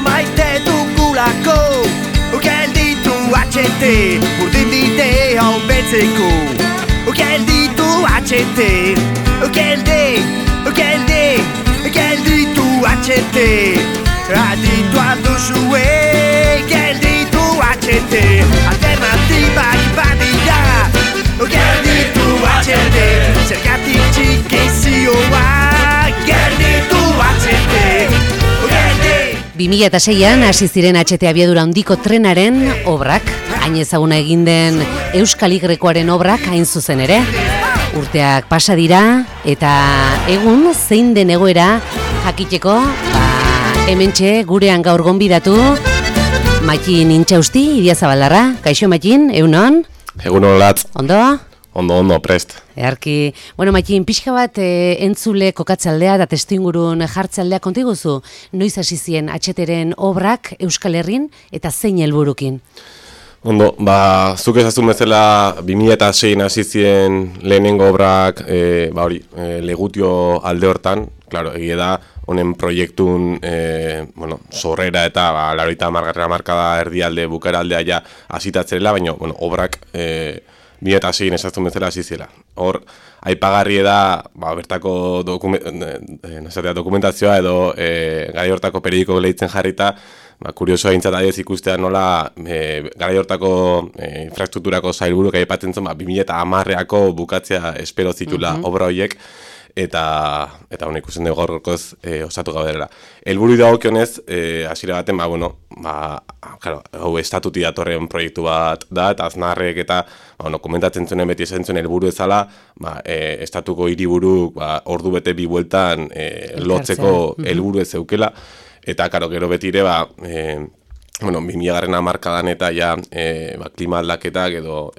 maite dugulako gelditu HT urdin bidea hobetzeko gelditu HT gelditu HT aditua duzue gelditu HT alternatibak badira gelditu HT zergatik txikizioa gelditu HT 2006an hasi ziren HT abiadura handiko trenaren obrak, hain ezaguna egin den Euskal Y-koaren obrak hain zuzen ere. Urteak pasa dira eta egun zein den egoera jakiteko, hementxe gurean gaur gonbidatu Matxin Intxausti, Idiazabaldarra. Kaixo Matxin, egunon? Egunon latz. Ondo? Ondo, prest. Earki, bueno, Matxin, pixka bat entzule kokatzaldea eta testuingurun jartzaldea kontiguzu, noiz hasi zien HTren obrak Euskal Herrin eta zein helburukin? Ondo, zuk ezazun bezala 2006 hasi zien lehenengo obrak, Legutio alde hortan, claro, egia da, honen proiektun, sorrera eta, laroita markada erdialde, bukaeraldea ja hasitatzerela, baina, obrak, 2006 esazun bezala hasi ziela. Hor, aipagarri da, bertako dokumentazioa edo garai hortako periodiko lehitzen jarrita, kuriosoa aintzat adiez ikustea nola garai hortako infrastrukturako sailburuk aipatzen zen, 2010ako bukatzea espero zitula obra horiek, eta hona ikusten dugu gaurkoz osatu gaudela. Helburu dagokionez, hasiera baten, hau estatuti datorren proiektu bat da, eta Aznarrek eta komentatzen zuen beti esan zuen helburu ezala, estatuko hiriburuk ordu bete bi bueltan lotzeko helburu ez zeukela, eta gero beti ere, 2000garren hamarkadan eta ja klima aldaketak edo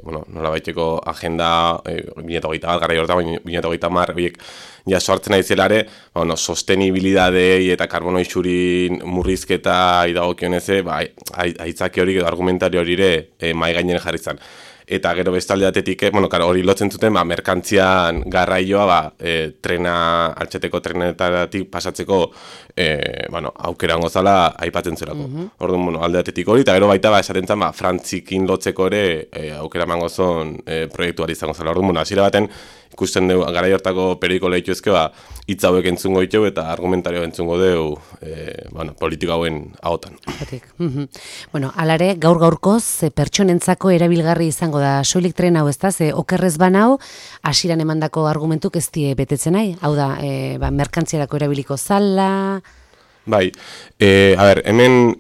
nola baiteko agenda 2030 bat gara jorta, 2030 horiek ja sortzen aizelare, sostenibilidadei eta karbono isurin murrizketa idagokioneze, aitzaki hori edo argumentario hori ere mai gainen jarri zen. Eta gero bestalde datetik, hori lotzen zuten, merkantzian garraioa, altxeteko trenetatik pasatzeko, aukera gozala aipatzen zerako. Orduan, alde datetik hori, eta gero baita, esaten zen, Frantzikin lotzeko ere, aukera mangozon proiektuari izango zela. Orduan, hasiera baten, ikusten dugu, garai hortako periodiko lehitzu ezke, hitz hauek entzungo ditu eta argumentario entzungo dugu, politika hauen ahotan. Alare, gaur-gaurkoz, pertsonentzako erabilgarri izango da soilik tren hau, ezta? Okerrez banau, hasieran emandako argumentuk ez die betetzen nahi? Hau da, merkantziarako erabiliko zala... Bai, hemen,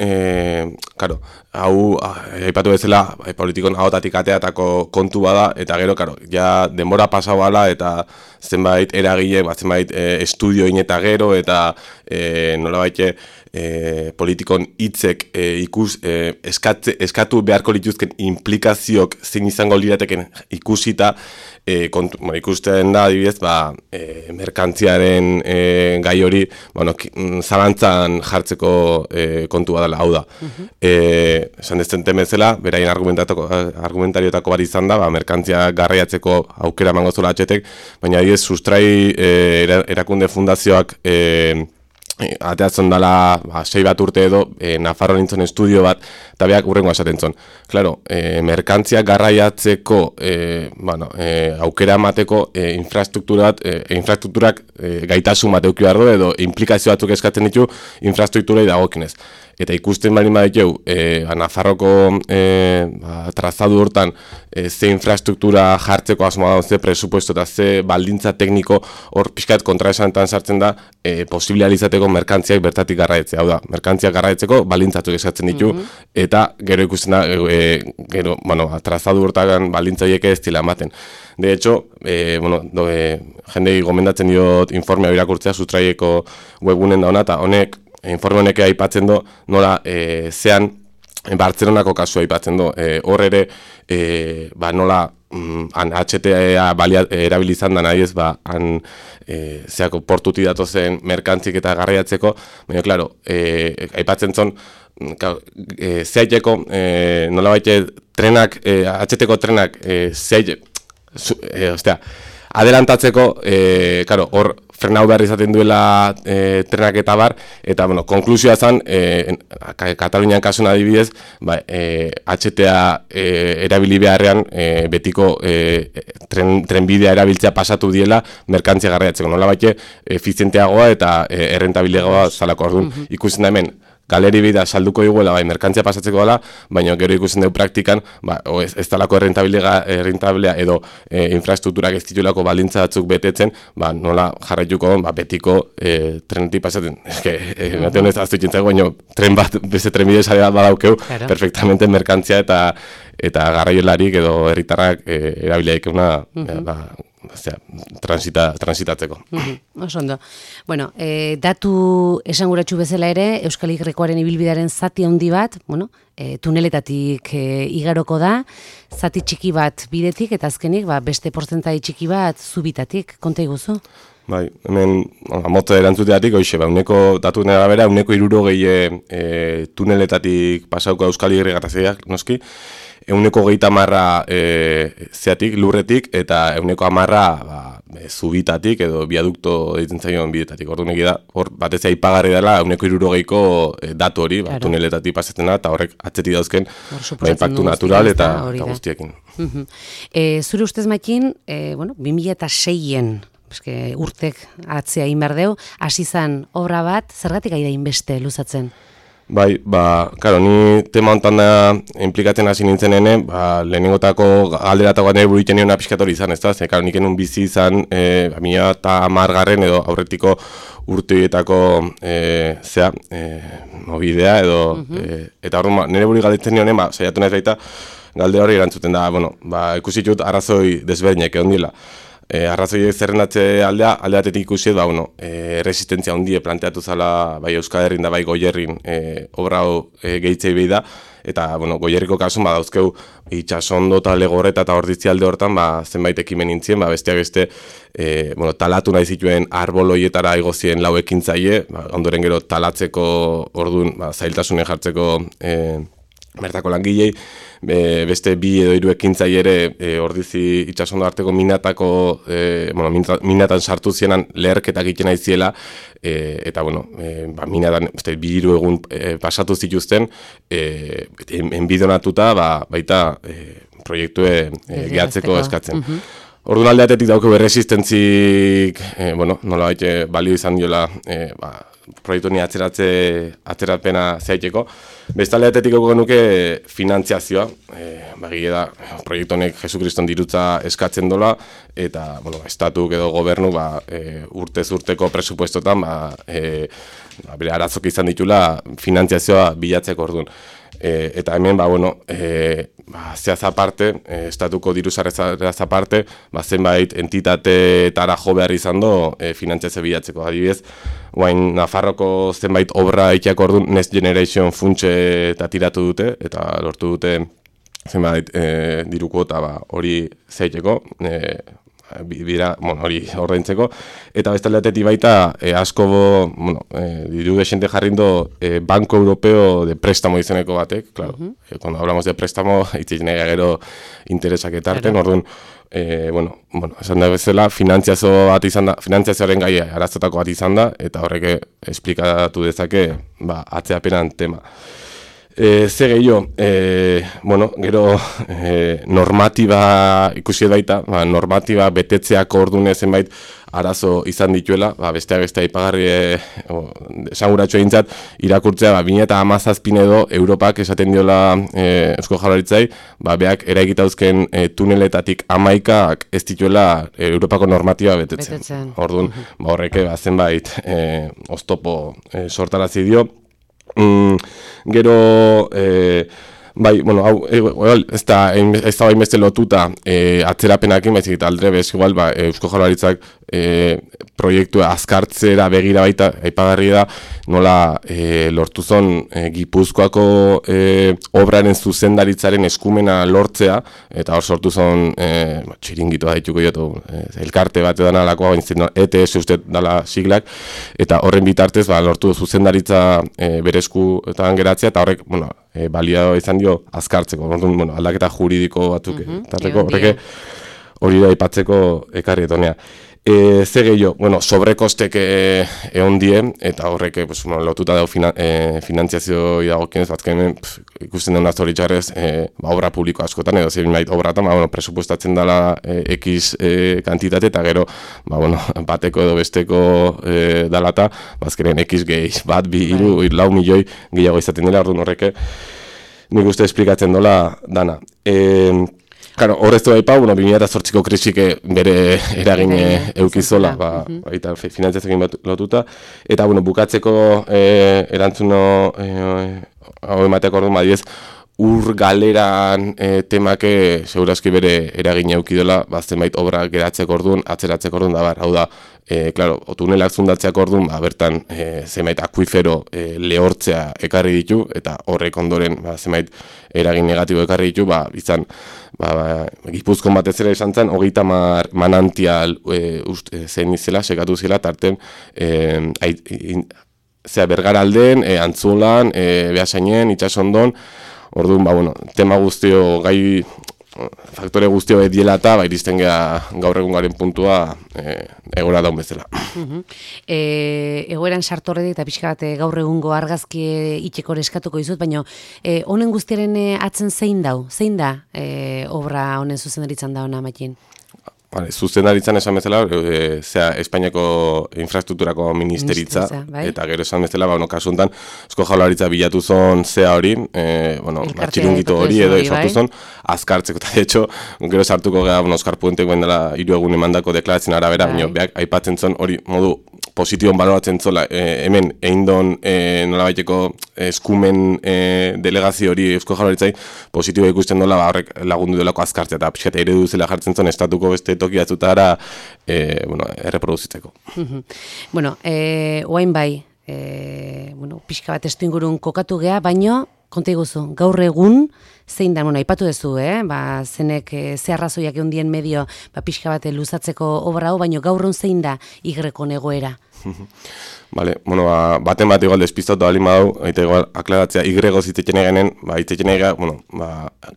hau, aipatu bezala, politikon ahotatik ateatako kontu bada, eta gero, ja denbora pasau bala, eta zenbait eragile, zenbait estudio ineta gero, eta nolabait politikon hitzek eskatu beharko lituzken implikazioak zein izango lirateken ikusita, ikusten da, adibidez, merkantziaren gai hori, zalantzan jartzeko kontua dela, hau da. Esan dezen temezela, beraien argumentarioetako bat izan da, merkantzia garraiatzeko aukera emango zola HTek, baina adibidez, sustrai erakunde fundazioak ateatzen dela 6 bat urte edo Nafarroan nintzen estudio bat eta beak urrengo esaten zon. Claro, merkantzia garraiatzeko aukera emateko infrastrukturak gaitasun bat eduki behar du edo implikazio batzuk eskatzen ditu infrastrukturei dagokinez. Eta ikusten baldin baditeu, Nafarroko trazadu hortan ze infrastruktura jartzeko asmoa da, ze presupuesto eta ze baldintza tekniko hor pixkat kontraesanetan sartzen da posibilializateko merkantziak bertatik garraiatzea. Hau da, merkantziak garraiatzeko baldintzatuk eskatzen ditu eta gero ikusten da, trazadu hortan baldintza horiek ez dila ematen. De hecho, jendei gomendatzen diot informea irakurtzea Sustraieko webgunen dauna eta honek informe honek aipatzen du nola zean Bartzelonako kasua aipatzen du. Hor ere nola HTA erabilizan da nahi ez, zeako portuti datozen merkantzik eta garraiatzeko, baina, klaro, aipatzen zon, zehaiteko, nola baite, trenak, HT-ko trenak, adelantatzeko, hor, frenau behar izaten duela trenak eta bar, eta, bueno, konklusioa zen, Katalunian kasuan adibidez, HTA erabili beharrean betiko trenbidea erabiltzea pasatu diela merkantzia garraiatzeko. Nola baite, efizienteagoa eta errentabileagoa zalako. Orduan, ikusten da hemen, galeri bida salduko diguela, merkantzia pasatzeko dela, baina gero ikusten dugu praktikan, ez talako errentabilea edo infrastrukturak ez ditulako baldintza batzuk betetzen, nola jarraituko betiko trenetik pasatzen. Mate honez aztu ikintzako, baina tren bat, beste trenbide sare bat badaukeu, perfectamente merkantzia eta garraiolarik edo herritarrak erabileik transitatzeko. Oso ondo. Bueno, datu esanguratsu bezala ere, Euskal Y-koaren ibilbidearen zati handi bat, tuneletatik igaroko da, zati txiki bat bidetik, eta azkenik beste porzentai txiki bat zubitatik, konta iguzu? Bai, hemen motza erantzuteatik, hoxe, uneko datu nera bera, uneko 60 tuneletatik pasauko Euskal Y-garraziak, noski, 130 zeatik, lurretik, eta 110 zubitatik edo biadukto ditzen zaion bidetatik. Orduan da, hor batez aipagarri dela 160ko datu hori, tuneletatik pasatzen da, eta horrek atzetik dauzken impactu natural eta guztiekin. Zure ustez Makin, 2006-en, urtek atzea inberdeu, hasi zan obra bat, zergatik aida inbeste luzatzen? Bai, karo, ni tema hontan da implikatzen hasi nintzen hene, lehenengotako galderatako nire buruiten nion apiskatori izan, ez da? Karo, nik enun bizi izan, 2010 edo aurretiko urteetako mobidea edo, eta hor, nire buri galdetzen nionen, saiatu nahez baita, galde hori erantzuten da, ikusitut arrazoi desberdinak egon dila. Arrazoiek zerrendatze aldeatetik ikusiet, resistentzia hundie planteatu zala bai Euskal Herrin da bai Goierrin obra hau gehitzei behi da, eta Goierriko kasun dauzkeu itxasondo eta legorreta eta orditzi alde hortan zenbait ekimen nintzien, besteak beste talatu nahi zituen arboloietara igozien lau ekintzaile, ondoren gero talatzeko orduan zailtasunen jartzeko bertako langilei, beste 2 edo 3 ekintzaile ere ordizi itxasondo arteko minatako, minatan sartu zienan leherketak egiten aiziela, eta minatan 2 egun pasatu zituzten, enbidonatuta baita proiektue gehatzeko eskatzen. Orduan aldeatetik dauko resistentzik, nola baite balio izan diola, proiektu ni atzerapena zaiteko. Beste aldeatetik auko genuke finantziazioa, da, proiektu honek Jesukriston dirutza eskatzen dola, eta, estatuk edo gobernu, urtez urteko presupuestotan, bere arazok izan ditula finantziazioa bilatzeko orduan. Eta hemen, zehaz aparte, estatuko diru sarrezaz aparte, zenbait entitatera jo behar izan do finantziazio bilatzeko. Adibidez, guain Nafarroko zenbait obra itiako orduan Next Generation funtse eta tiratu dute, eta lortu dute zenbait diruko eta hori zeiteko, hori ordaintzeko, eta beste aldeatetik baita asko diru desente jarrindo Banco Europeo de Préstamo izeneko batek, claro, cuando hablamos de préstamo itzitzen gero interesak etarten, orduan, esan da bezala, finantziazioaren gai arazotako bat izan da, eta horrek esplikatu dezake atzeapenan tema. Ze gehiago, gero normatiba ikusi baita, normatiba betetzeako ordune zenbait arazo izan dituela, besteak beste aipagarri esanguratxo egintzat, irakurtzea 2017 edo Europak esaten diola Eusko Jaurlaritzai, beak eraikitauzken tuneletatik 11 ez dituela Europako normatiba betetzen. Orduan, horrek zenbait oztopo sortarazi dio. Gero, hau, ez da bainbeste lotuta atzerapenakin, baizik eta aldrebez, igual, Eusko Jaurlaritzak proiektua azkartzera begira baita, aipagarri da, nola lortu zon Gipuzkoako obraren zuzendaritzaren eskumena lortzea, eta hor sortu zon txiringitu da dituko jotu, elkarte bat edan alakoa, ETS uste dala siglak, eta horren bitartez lortu zuzendaritza berezkuetan geratzea, eta horrek, balia izan dio azkartzeko, aldaketa juridiko batzuk, horrek hori da aipatzeko ekarri etonea. Ze gehiago, bueno, sobrekostek egon die, eta horrek pues, lotuta dago finantziazio dagokienez, batzken ikusten duen zoritxarrez obra publiko askotan, edo zein bait obratan, bueno, presupuestatzen dela X kantitate, eta gero, bateko edo besteko dalata, bazkeren X gehi, bat, bi, iru, lau milioi gehiago izaten dela, orduan horrek nik uste esplikatzen dola dana. Claro, horreztu daipa, 2008ko krisik bere eragin eukizola, baita finantziazioekin lotuta, eta bukatzeko erantzuno hau emateak orduan badiez, ur galeran temake segurazki bere eragin eukidola, zenbait obra geratzeko orduan, atzeratzeko orduan, da hau da, claro, tunelak zundatzeak orduan, bertan zenbait akuifero lehortzea ekarri ditu, eta horrek ondoren zenbait eragin negatibo ekarri ditu, izan, Gipuzkoan batez ere esan zen, 30 manantial zen izela, sekatu zela, tarten Bergaralden, Antzulan, Beasainen, Itsasondon, orduan, tema guztio, faktore guztio ediela eta iristen geha gaur egun garen puntua egora daun bezala. Egoeran sartorre eta pixka bat gaur egungo argazki itxeko eskatuko izut, baina honen guztiaren atzen zein dau? Zein da obra honen zuzendaritzan da hona Matin? Zuzendaritzan esan bezala, Espainiako infrastrukturako ministeritza, eta gero esan bezala, kasu honetan, Eusko Jaurlaritza bilatu zon zea hori, txiringito hori edo sortu zon, azkartzeko, eta de hecho, gero sartuko gara, Oskar Puentek guen dela 3 egun emandako deklaratzen arabera, beak aipatzen zon hori modu positibon baloratzen zola, hemen eindon nolabaiteko eskumen delegazio hori Eusko Jaurlaritzai positibo ikusten dola, horrek lagundu delako azkartzea, eta pixkat eredu zela jartzen zon estatuko beste toki batzutara erreproduzitzeko. Oain bai, pixka bat estu ingurun kokatu gea, baino, konta iguzu, gaur egun, zein da, aipatu duzu, zenek ze arrazoiak eundien medio pixka bat luzatzeko obra hau, baino gaur egun zein da igrekon egoera? Vale, baten bat igual despistatu alin badau, eta igual aklaratzea igrego zitzeken egenen, zitzeken egea,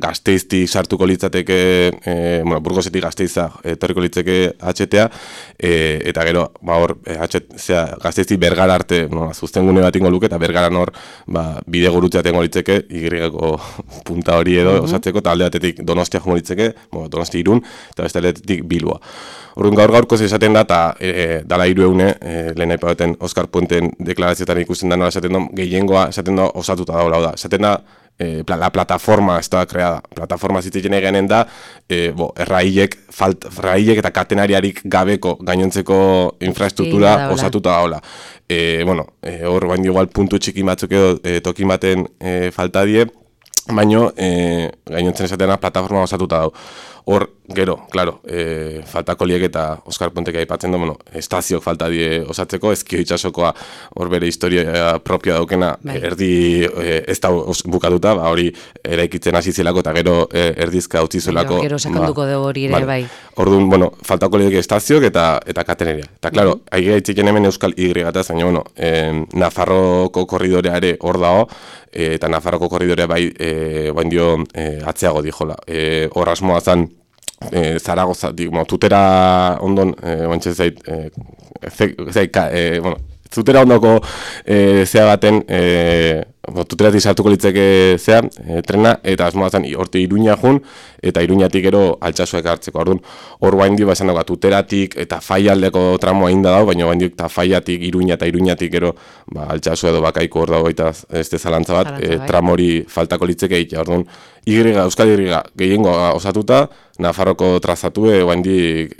Gasteizti sartuko litzateke, Burgosetik Gasteiza etorriko litzeke HTA, eta gero, Gasteizti Bergara arte, zuztengune bat ingo luke, eta Bergaran hor, bide gurutzea tengo litzeke, igrego punta hori edo osatzeko, eta alde batetik Donostia jongo litzeke, Donosti Irun, eta beste aldetik Bilboa. Orduan gaur-gaurkoz esaten da, eta dala 3 egune, lehen aipatzen Oskar Puenten deklarazioetan ikusten da nola esaten da, gehiengoa esaten da osatuta daula, esaten da, la plataforma ez da kreada. Plataforma zitzen egenen da, errailek eta katenariarik gabeko gainontzeko infrastruktura osatuta daula. Hor baino igual puntu txiki batzuk edo tokin baten falta die, baino gainontzen esaten da plataforma osatuta dau. Hor, gero, claro, faltako liek eta Oskar Puentek aipatzen du, estazioak falta die osatzeko, Ezkio itsasokoa hor bere historia propioa daukena, erdi ez da bukatuta, hori eraikitzen hasi zelako eta gero erdizka utzi zelako. Gero sakanduko dugu hori ere, bai. Orduan, faltako liek estazioak eta kateneria. Eta, claro, aigea itziken hemen Euskal Y-gataz, baina, Nafarroko korridorea ere hor dago, eta Nafarroko korridorea bai dio atzeago dijola. Hor asmoa zan, Zaragoza, tutera ondon, tutera ondoko zea baten, tuteratik sartuko litzeke zea, trena, eta asmoa zen horti Iruña jun, eta Iruñatik gero Altsasuak hartzeko. Orduan, hor bain dio, esan dago, tuteratik eta faialdeko tramoa inda dago, baina bain dio, eta faiatik Iruña eta Iruñatik gero Altsasu edo Bakaiko hor dago, eta ez zalantza bat, tramori faltako litzeke egitea. Orduan, Euskal Y gehiengo osatuta, Nafarroko trazatu, bain dik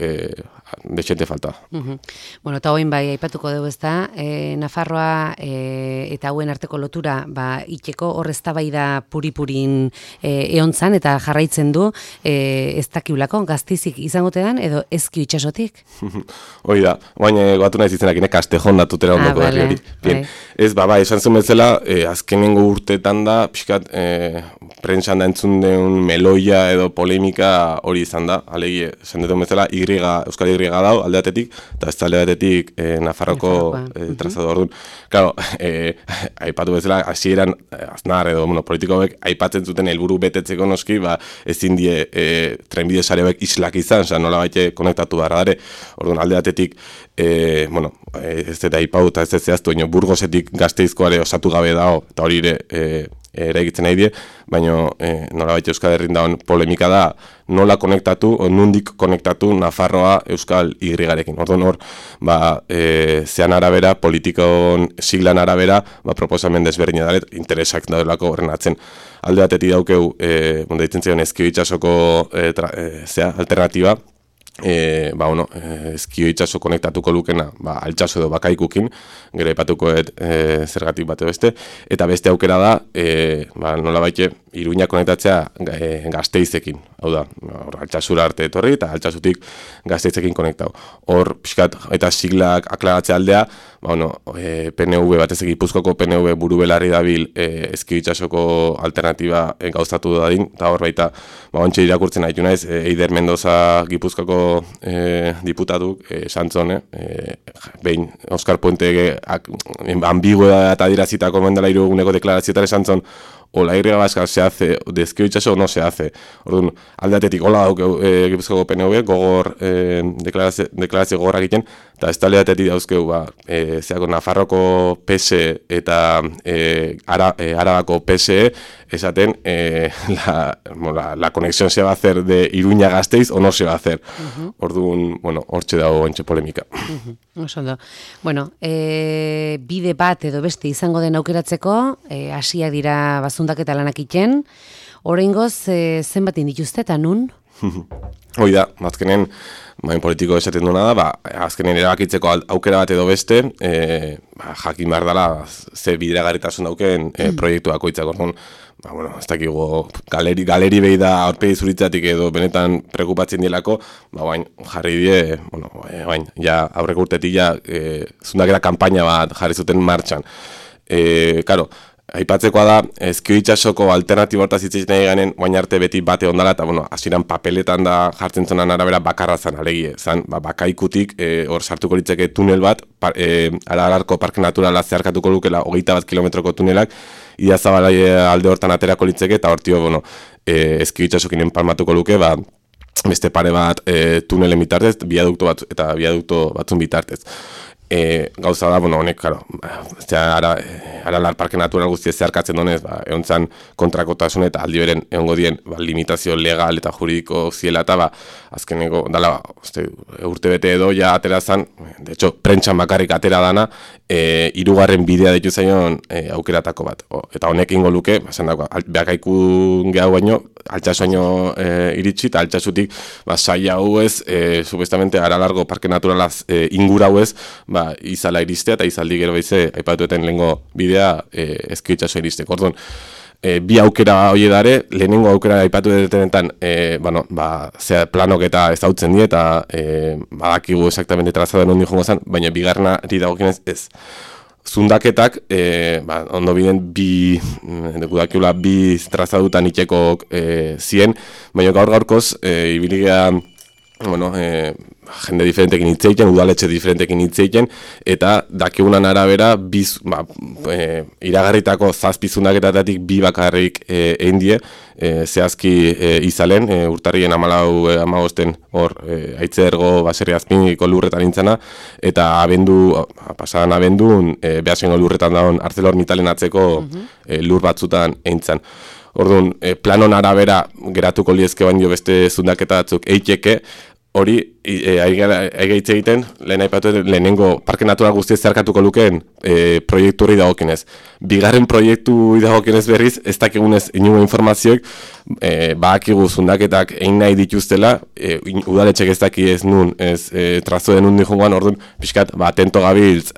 dexente falta. Eta hoin bai, aipatuko dugu ez da, Nafarroa eta hauen arteko lotura itxeko hor eztabaida puri-purin eontzan eta jarraitzen du, ez dakiulako, Gasteizik izangote dan, edo Ezkio itsasotik? Hoi da, baina batu nahi zizenak, Kastejon da tutera ondoko herri hori. Ez, esan zuen bezala, azkenengo urteetan da, pixkat, prentsan da entzun den meloia edo polemika hori izan da, alegi, esan dut bezala, Euskal Y lega dau alde batetik, eta ez alde batetik Nafarroko trazado orduan. Claro, aipatu bezala, hasieran Aznar edo politikoek aipatzen zuten helburu betetzeko noski, ezin die trenbide sareak islak izan, nola baite konektatu behar dare. Orduan alde batetik, ez eta aipau eta ez zehaztu, Burgosetik Gasteizkoare osatu gabe dago, eta hori ere egitzen nahi die, baina nolabait Euskal Herrin dagoen polemika da nola konektatu, nundik konektatu Nafarroa Euskal Y-garekin. Orduan hor, zean arabera, politikon siglan arabera, proposamen desberdina daret, interesak daudelako horren atzen. Alde batetik daukeu, deitzen zion Ezkio itsasoko alternatiba, Ezkio itsaso konektatuko lukena altsasu edo Bakaikukin, gero aipatukoet zergatik bate beste, eta beste aukera da nolabait Iruña konektatzea Gasteizekin, hau da, altsasura arte etorri eta altsasutik Gasteizekin konektau. Hor, pixkat, eta siglak aklaratzea aldea, PNV batez Gipuzkoako PNV buru belarri dabil Ezkio itsasoko alternatiba gauzatu dadin, eta hor baita, ontsa irakurtzen haitu naiz, Eider Mendoza Gipuzkoako diputatuk, Santzone, behin Oskar Puente ambigua eta dirazitako mendela iruguneko deklarazioetara Santzon, o la Y vasca se hace, de Ezkio itsaso no se hace. Orduan, aldeatetik, hola dauk Gipuzkoako PNV, gogor, deklarazio gogorrak egiten, eta ez taldeatetik dauzkeu, zeako Nafarroko PSE eta Arabako PSE, esaten, la conexión se va a hacer de Iruña Gasteiz o no se va a hacer. Orduan, hortxe dago ontxe polemika. Osondo. Bide bat edo beste izango den aukeratzeko, hasiak dira bazundaketa lanak iten, oraingoz zenbat dituzte eta nun? Hoi da, azkenen, politiko esaten duena da, azkenen erabakitzeko aukera bat edo beste, jakin behar dela, ze bideragarritasun dauken proiektuako itzak orduan, ez dakigu galeri behi da aurpegi zuritzatik edo benetan prekupatzen dielako, jarri die, ja aurreko urtetik ja zundakera kanpaina bat jarri zuten martxan. Karo, aipatzekoa da, Ezkio itsasoko alternatibo hortaz hitz nahi ganen, guain arte beti bate ondala, eta hasieran papeletan da jartzen zonan arabera bakarra zan, alegie, zan, Bakaikutik hor sartuko litzeke tunel bat, Aralarko Parke Naturala zeharkatuko lukela 21 kilometroko tunelak, Idiazabal alde hortan aterako litzeke, eta hortio, Ezkio itsasokin enpalmatuko luke, beste pare bat tunelen bitartez, biadukto bat, eta biadukto batzun bitartez. Gauza da, honek, Aralar Parke Natural guztia zeharkatzen donez, egontzan kontrakotasun eta aldi beren egongo dien limitazio legal eta juridiko ziela eta azkeneko, dala, urte bete edo ja atera zan, de hecho, prentxan bakarrik atera dana, hirugarren bidea ditu zaion aukeratako bat. Eta honek ingo luke, Bakaikun gehiago baino, altsasu baino iritsi, eta altsasutik saia hau ez, subestamente Aralargo Parke Naturalaz ingura hau ez, izala iristea eta izaldi gero baize aipatueten lehengo bidea Ezkio itsaso iristeko. Orduan, bi aukera hori dare, lehenengo aukera aipatu detenetan, planok eta ezautzen die eta badakigu exactamente trazado nondi jongo zen, baina bigarrenari dagokienez ez. Zundaketak, ondo biden bi trazadutan itxeko zien, baina gaur-gaurkoz, ibiligea, jende diferentekin hitzeiten, udaletxe diferentekin hitzeiten, eta dakigunan arabera iragarritako zazpizundaketatik bi bakarrik egin die, zehazki izalen, urtarrien 14-15 hor aitzergo baserri azpiniko lurretan intzana, eta pasadan abendun behasengo lurretan dagoen ArcelorMittalen atzeko lur batzutan eintzan. Orduan, planon arabera geratuko liezke baino beste zundaketa batzuk eiteke, hori, aigaitze egiten, lehenengo Parke Natural guztiez zeharkatuko lukeen proiektu hori dagokinez. Bigarren proiektu dagokinez berriz, ez dakigunez inungo informazioek, badakigu zundaketak egin nahi dituztela, udaletxek ez daki ez nun, ez trazo denun dijongoan, orduan, pixkat, atento gabiltz,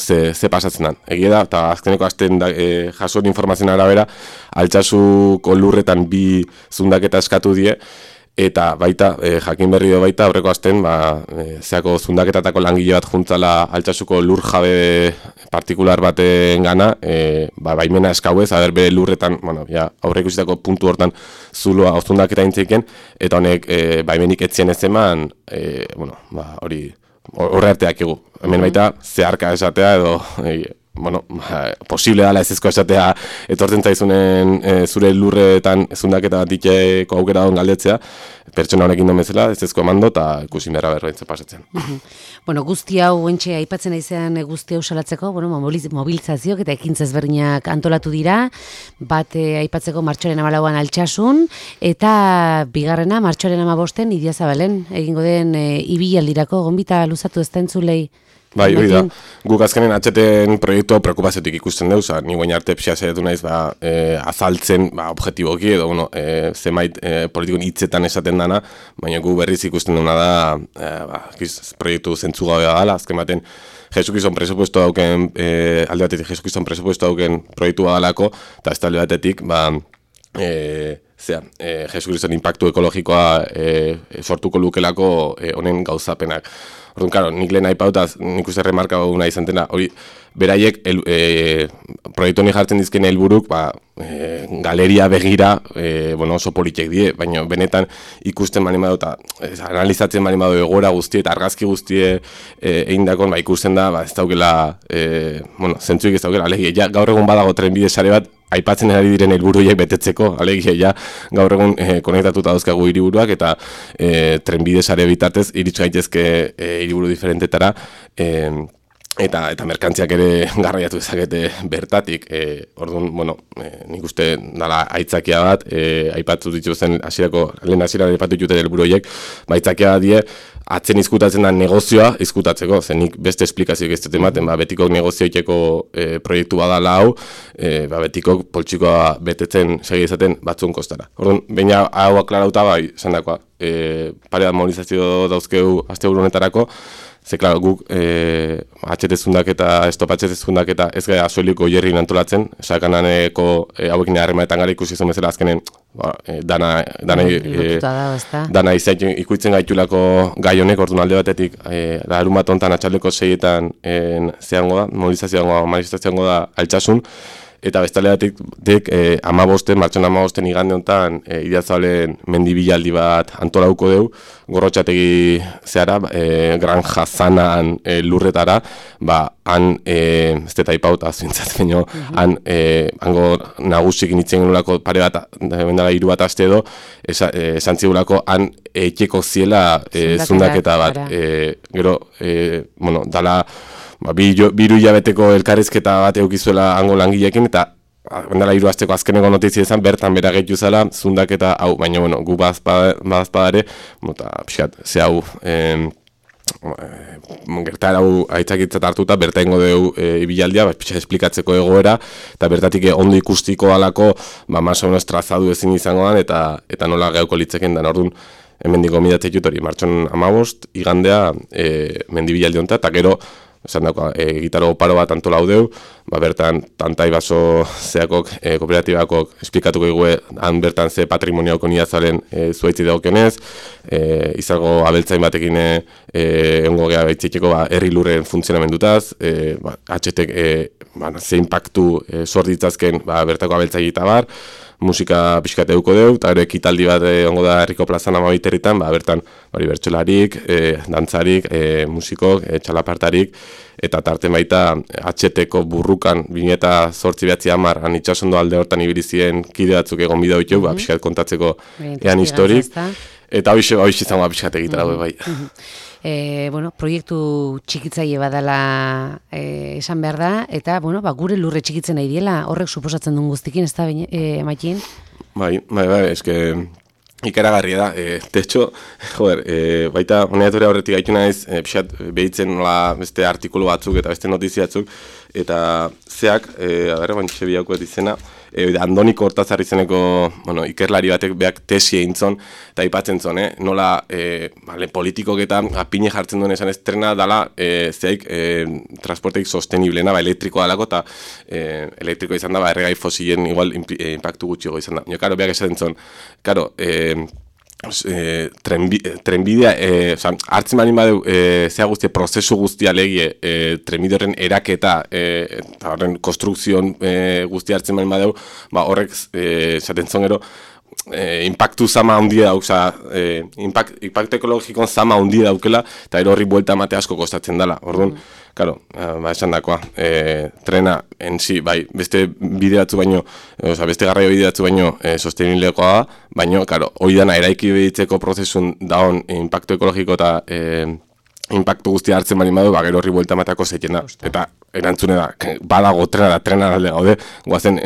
ze pasatzen dan. Egia da, eta azkeneko hasten jasoen informazioen arabera, altsasuko lurretan bi zundaketa eskatu die, Eta baita, jakin berri do baita, aurreko asten, zeako zundaketatako langile bat juntzala Altsasuko lur jabe partikular baten gana, baimena eskauez, bere lurretan, aurreko ikusitako puntu hortan zuloa zundaketa intzeiken, eta honek baimenik etzien ez eman, hori horre arteak egu. Hemen baita, zeharka esatea edo, posible dala ezezko esatea etortzen zaizunen zure lurretan zundaketa bat diteko aukera don galdetzea, pertsona honekin domezela ezezko emando eta ikusin behar berrointza pasatzen. Guzti hau entxe aipatzen aizean guzti hau salatzeko, mobilizazioak eta ekintza ezberdinak antolatu dira, bat aipatzeko martxoaren 14an Altsasun, eta bigarrena martxoaren 15an Idiazabalen, egingo den ibilaldirako, gonbita luzatu ez da entzulei. Bai, hori da. Guk azkenen atxeten proiektua preokupaziotik ikusten dugu, ni guain arte pixia zaitu naiz azaltzen objektiboki edo zemait politikon hitzetan esaten dana, baina gu berriz ikusten duna da proiektu zentzugabea dela, azken baten Jesukizon presupuesto dauken, alde batetik Jesukizon presupuesto dauken proiektua dalako, eta ez talde batetik, Jesukizon impactu ekologikoa sortuko lukelako honen gauzapenak. Orduan, karo, nik lehen aipautaz, nik uste remarka nahi izan dena, hori, beraiek proiektu honi jartzen dizken helburuk, galeria begira, oso politek die, baina benetan ikusten bali badu eta analizatzen bali badu egoera guztie eta argazki guztie egindakon, ikusten da, ez daukela, zentzuik ez daukela, alegia, gaur egun badago trenbide sare bat, aipatzen ari diren helburuiek betetzeko, alegia, gaur egun konektatuta dauzkagu hiriburuak eta trenbide sare bitartez iritsu gaitezke hiriburu diferentetara, eta merkantziak ere garraiatu dezakete bertatik. Orduan, nik uste dala aitzakia bat, aipatu dituzen lehen hasieran aipatu dituten helburuiek, aitzakia die atzen izkutatzen da negozioa izkutatzeko, nik beste esplikazioak ez dut ematen, betikok negozioiteko proiektu badala hau, betikok poltsikoa betetzen segi izaten batzun kostara. Orduan, baina hau aklarauta esan dakoa, pare bat mobilizazio dauzkeu asteburu honetarako, ze, klaro, guk atxetezundak eta ez gara azueliko jerrin antolatzen, sakananeko hauekin harremanetan gara ikusi zuen bezala azkenen dana ikuitzen gaitulako gai honek, orduan alde batetik larun bat hontan atxaldeko 6etan mobilizazioango da Altsasun, eta bestaleatik martxoan 15 igande honetan Idiazabalen mendibilaldi bat antolauko dugu, Gorrotxategi zehara, Granja Zanan lurretara, han, ez deta ipauta zuintzat, baina, hango nagusik initzen genulako pare bat, bendala 3 bat aste edo, esan zigulako han etxeko ziela zundaketa bat, gero, dala, biru hilabeteko elkarrizketa bat eukizuela hango langileekin, eta bendala 3 asteko azkeneko notizia izan, bertan bera gehitu zela, zundaketa hau, baina, gu badazpadare, eta pixat, ze hau, gertara hau aitzakitzat hartuta, berta ingo dugu ibilaldia, pixat esplikatzeko egoera, eta bertatik ondo ikustiko alako, más o menos trazadu ezin izango dan, eta nola geuko litzeken dan, orduan, hemen diko midatzei jutori, martxon 15, igandea, mendibilaldi honetan, eta gero, esan dago, gitaro paro bat antolau deu, bertan tantai baso zeakok, kooperatibakok esplikatuko igue, han bertan ze patrimoniauko Idiazabalen zuaitzi dagokenez, izango abeltzain batekin egongo geha behitzekeko herri lurren funtzionamendutaz, atxetek ze impactu sort ditzazken bertako abeltzain eta bar, musika pixkate duko deu, eta gero ekitaldi bat ongo da herriko plazan 12 herritan, bertan bertsolarik, dantzarik, musikok, txalapartarik, eta tarten baita atxeteko burrukan 2008-2010 han itxasondo alde hortan ibilizien kide batzuk egon bideo ditu, pixkat kontatzeko ean historik, eta hoxe izango pixkat egitara bai. Proiektu txikitzaile badala esan behar da, eta gure lurre txikitzen nahi diela, horrek suposatzen duen guztikin, ez da, Makin? Bai, eske ikaragarria da, de hecho, baita honeatura horretik gaitu naiz, pixat behitzen nola beste artikulu batzuk eta beste notiziatzuk, eta zeak, bantxe biako izena, Andoniko Hortazar izeneko ikerlari batek beak tesi egin zon, eta ipatzen zon, nola politikok eta apine jartzen duen esan estrena dala zeik transporteik sosteniblena, elektrikoa dalako, eta elektrikoa izan da, erregai fosilen igual impactu gutxiago izan da. Karo, beak esaten zon, karo, trenbidea, hartzen balin badeu, zea guztia, prozesu guztia legie, trenbide horren eraketa, eta horren konstrukzion guztia hartzen balin badeu, horrek, zaten zongero, impactu zama handia dauk, impactu ekologikon zama handia daukela, eta horri buelta emate asko kostatzen dela. Orduan, claro, esan dakoa, trena en si, bai, beste bideratzu baino, beste garraio bideratzu baino sostenilekoa da, baino, claro, hori dana eraiki behitzeko prozesun daun impactu ekologiko eta impactu guztia hartzen bali badu, gero horri buelta emateko zeiten da. Eta erantzune da, badago trena alde gaude, guazen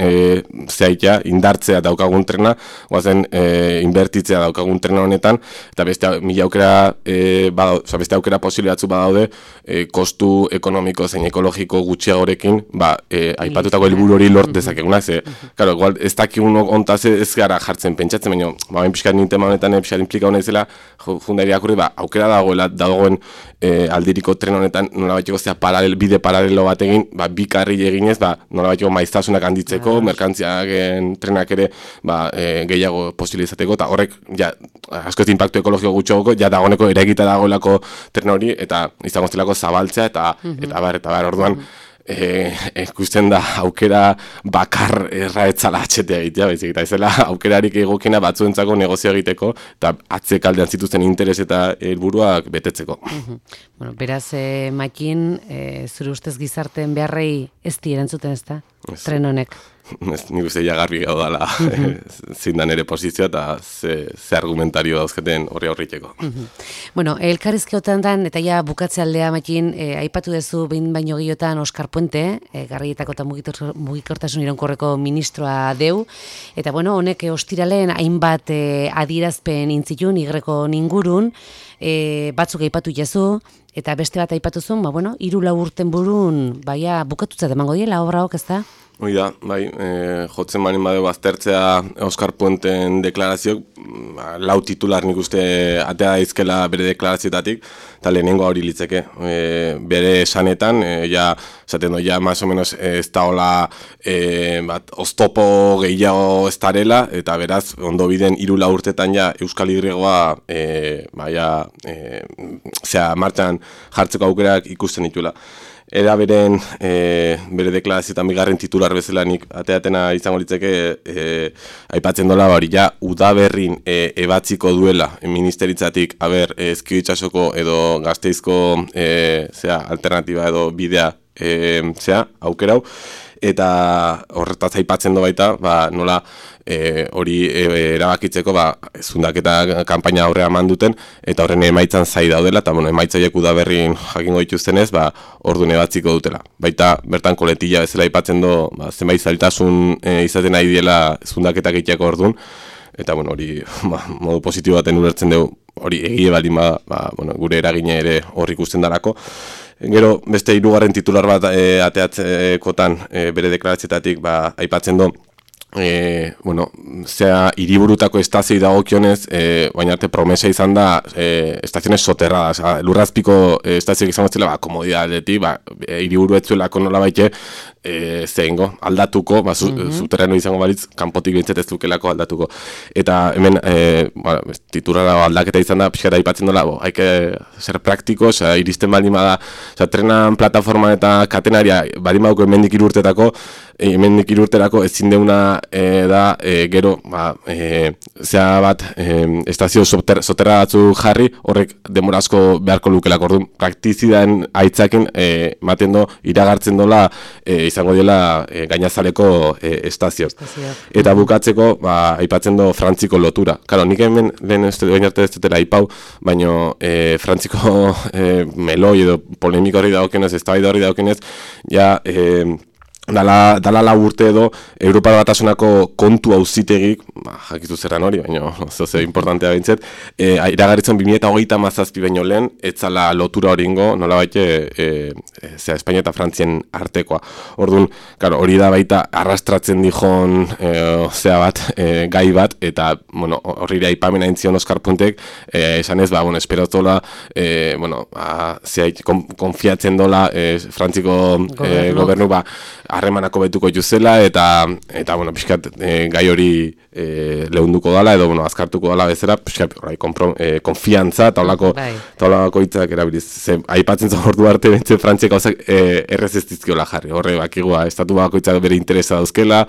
zehaitea, indartzea daukagun trena, guazen inbertitzea daukagun trena honetan, eta beste mila aukera, beste aukera posibile batzu badaude, kostu ekonomiko zein ekologiko gutxiagorekin, aipatutako helburu hori lort dezakeguna, claro, igual ez dakigun ontaz ez gara jartzen pentsatzen, baina, bain pixkat nintema honetan pixkat implika hona izela, jundairi akurri, aukera dagoen aldiriko tren honetan nola bateko bide paralelo bat egin, bi karri eginez, nola bateko maiztasunak handitzeko, merkantziak trenak ere gehiago posibilizateko, eta horrek, asko ez impactu ekologiko gutxogoko, dagoeneko eraikita dagoelako tren hori, eta izango zelako zabaltzea, eta bar, orduan, ikusten da aukera bakar erraetzala atxetea egitea, baizik, eta ezela aukerarik egokina batzuentzako negozio egiteko, eta atzekaldean zituzten interes eta helburuak betetzeko. Bueno, beraz, Makin, zure ustez gizarteen beharrei ez di erantzuten ez da, tren honek? Nik uste garbi gau dala zindan ere posizioa eta ze argumentario dauzketen horri aurriteko. Bueno, elkarrizkeotan dan, eta ja bukatze aldea, Makin, aipatu dezu behin baino gehiotan Oskar Puente, garraietako eta mugikortasun iraunkorreko ministroa deu, eta bueno, honek ostiralen hainbat adierazpen intzitun, igreko ningurun, batzuk aipatu jazu, eta beste bat aipatuzun, 3-4 urten burun, bukatutzat emango diela obra hok, ez da? Hoi da, jotzen balin badeu aztertzea Oskar Puenten deklarazioak, lau titular nik uste atea daizkela bere deklarazioetatik, eta lehenengo hori litzeke. Bere esanetan, esaten ja, más o menos ez da hola oztopo gehiago ez darela, eta beraz, ondo biden 3 urtetan Euskal Irregoa martxan jartzeko aukerak ikusten dituela. Era bere deklarazioetan bigarren titular bezala nik ateatena izango litzeke aipatzen dola hori udaberrin ebatziko duela ministeritzatik Ezkio itsasoko edo Gasteizko alternatiba edo bidea aukerau, eta horretaz aipatzen do baita nola hori erabakitzeko zundaketa kanpaina aurrea eman duten, eta horren emaitzan zai daudela, eta emaitzaiek udaberrin jakingo dituztenez, orduan ebatziko dutela. Baita bertan koletilla bezala aipatzen do, zenbait zailtasun izaten nahi diela zundaketak egiteako orduan, eta hori modu positibo baten ulertzen dugu, hori egie baldin gure eragine ere hor ikusten darako. Gero beste 3. titular bat ateatzekotan bere deklaratzetatik aipatzen do, hiriburutako estazioi dagokionez, baina arte promesa izan da estaziones soterradas, lurrazpiko estazioak izango zela, komodidadetik, hiriburu etzuelako nola baite, aldatuko, zuterreno izango balitz, kanpotik bintzet ez dukelako aldatuko. Eta hemen, titulara aldaketa izan da, pixkara aipatzen dola, haike ser praktiko, iristen baldin bada, trenan plataforman eta katenaria baldin baduko hemendik 3 urtetako, hemendik 3 urterako ezin deuna da, gero, zea bat, estazio soterra batzu jarri, horrek denbora asko beharko lukelako, orduan, praktizidaen aitzakin, maten do, iragartzen dola, izango dela gainazaleko estazio. Eta bukatzeko, aipatzen do Frantziko lotura. Karo, nik hemen lehen arte ez dutela aipau, baina Frantziko meloi edo polemiko hori dagokenez, eztabaida hori dagokenez, dala 4 urte edo Europa Batasunako kontu auzitegik, jakizu zerran hori, baina zoze importantea bintzet, iragaritzen 2027 baino lehen, etzala lotura hori ingo, nola baite, Espainia eta Frantzien artekoa. Orduan, hori da baita arrastratzen dijon gai bat, eta horri da ipamena intzion Oskar Puntek, esan ez, esperotola, konfiatzen dola Frantziko gobernu, harremanako betuko juzela, eta bueno, pixkat gai hori lehunduko dala, edo, bueno, azkartuko dala bezala, pixkat, konfiantza, eta holako hitzak erabiliz. Aipatzen zen ordu arte, bentsen Frantziak gauzak errez ez dizkiola jarri. Horre, bakigua, estatu bakoitzak bere interesa dauzkela,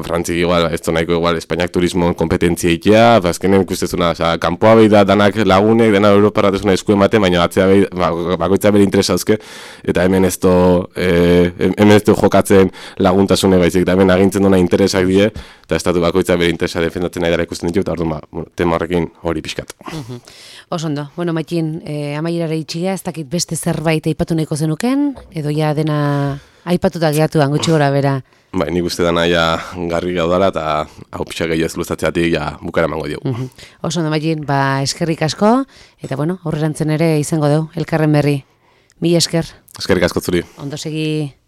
Frantzik igual, ez nahiko igual, Espainiak turismoan kompetentzia ikia, azkenen ikustezuna, kanpoa behi da danak lagunek, dena Europarratezuna esku ematen, baina bakoitzak bere interesa dauzke, eta hemen ez du jokatzen laguntasune baizik, eta hemen agintzen duna interesak die, eta estatu bakoitzak bere interesa defendatzen nahi dara ikusten ditu, eta orduan, tema horrekin hori pixkat. Osondo, bueno, Maitin, amaierara itxiga, ez dakit beste zerbait aipatu nahiko zenuken, edo ja dena aipatuta gehatuan, gutxi gora bera. Bai, nik uste dana ja garri gaudala, eta hau pixak gehiago ez luztatzeatik ja bukara emango diogu. Osondo, Maitin, eskerrik asko, eta bueno, aurrerantzen ere izango dugu, elkarren berri. Mila esker. Eskerrik asko zuri. Ondo segi.